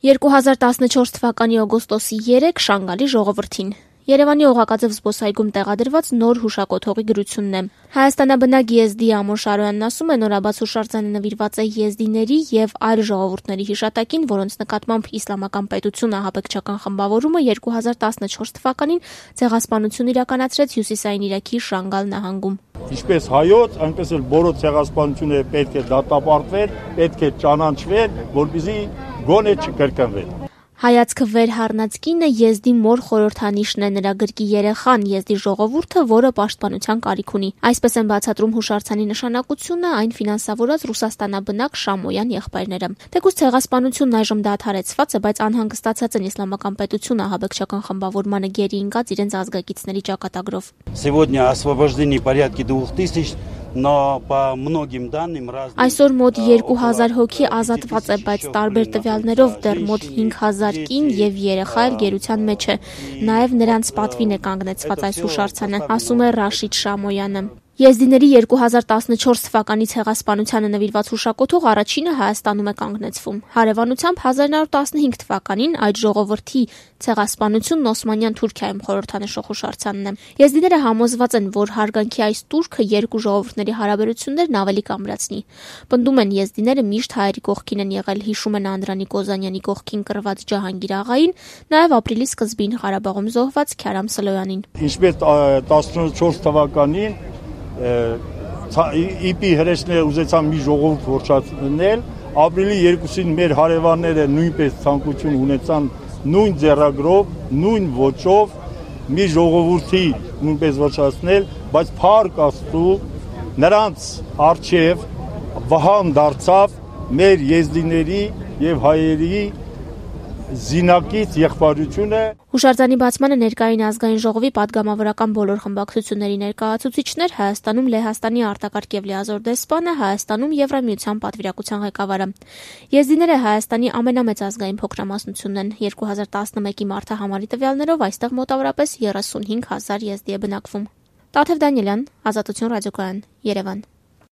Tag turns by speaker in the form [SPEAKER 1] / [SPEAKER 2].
[SPEAKER 1] 2014 թվականի օգոստոսի 3 Շանգալի ժողովրդին։ Երևանի Օղակաձև զբոսայգում տեղադրված նոր հուշակոթողի գրությունն է։ Հայաստանաբնակ եզդի Ամոր Շարոյանն ասում է, նորաբաց հուշարձանը նվիրված է եզդիների եւ այլ ժողովուրդների հիշատակին, որոնց նկատմամբ Իսլամական պետություն ահաբեկչական խմբավորումը 2014 թվականին ցեղասպանություն իրականացրեց Հյուսիսային Իրաքի Շանգալ նահանգում։
[SPEAKER 2] Ինչպես հայոց, այնպես էլ բոլոր ցեղասպանությունները պետք է դատապարտվեն, պետք է ճանաչվեն, որպեսզի գոնե չկրկնվեն։
[SPEAKER 1] Հայացքը վեր հառնած կինը եզդի մոր խորհրդանիշն է, նրա գրկի երեխան, եզդի ժողովուրդը, որը պաշտպանության կարիք ունի։ Այսպես են բացատրում հուշարձանի նշանակությունը այն ֆինանսավորած ռուսաստանաբնակ Շամոյան եղբայրները։ Թեկուզ ցեղասպանությունն այժմ դադարեցված է, բայց անհանգստացած են Իսլամական պետություն ահաբեկչական խմբավորմանը գերի ընկած իրենց ազգակիցների ճակատագրով։
[SPEAKER 3] Сегодня освобождены порядка 2000.
[SPEAKER 1] Այսօր մոտ 2000 հոգի ազատված է, բայց տարբեր տվյալներով դեռ մոտ 5000 կին եւ երեխա էլ գերության մեջ է։ Նաեւ նրանց պատվին է կանգնեցված այս հուշարձանը, ասում է Ռաշիդ Շամոյանը։ Եզդիների 2014 թվականի ցեղասպանությանը նվիրված հուշակոթող առաջինը Հայաստանում է կանգնեցվում։ Հարևանությամբ 1915 թվականին այդ ժողովրդի ցեղասպանությունն Օսմանյան Թուրքիայում խորհրդանշող հուշարձանն է։ Եզդիները համոզված են, որ հարգանքի այս տուրքը երկու ժողովուրդների հարաբերություններն ավելի կամրացնի։ Պնդում են, եզդիները միշտ հայերի կողքին են եղել, հիշում են Անդրանիկ Օզանյանի կողքին կռված Ջահանգիր աղային, նաև ապրիլի սկզբին Ղարաբաղում զոհված Քյարամ Սլոյանին։
[SPEAKER 2] Ինչպես 14 թվականին իպի հրեշները ուզեցան մի ժողովուրդ ոչնչացնել, ապրիլի 2-ին մեր հարևանները նույնպես ցանկություն ունեցան նույն ձեռագրով, նույն ոճով մի ժողովրդի նույնպես ոչնչացնել, բայց փառք Աստծու նրանց արչև վահան դարձավ մեր եզդիների եւ հայերի զինակից եղբայրությունը։
[SPEAKER 1] Հուշարձանի բացմանը ներկային ազգային ժողովի падգամավորական բոլոր խմբակցությունների ներկայացուցիչներ, Հայաստանում Լեհաստանի արտակարգ եւ լիազոր դեսպանը, Հայաստանում Եվրամիության պատվիրակության ղեկավարը։ Եզդիները Հայաստանի ամենամեծ ազգային փոքրամասնությունն են։ 2011-ի մարտահամարի տվյալներով այստեղ մոտավորապես 35000 եզդի է բնակվում։ Տաթև Դանիելյան, Ազատություն ռադիոկայան, Երևան։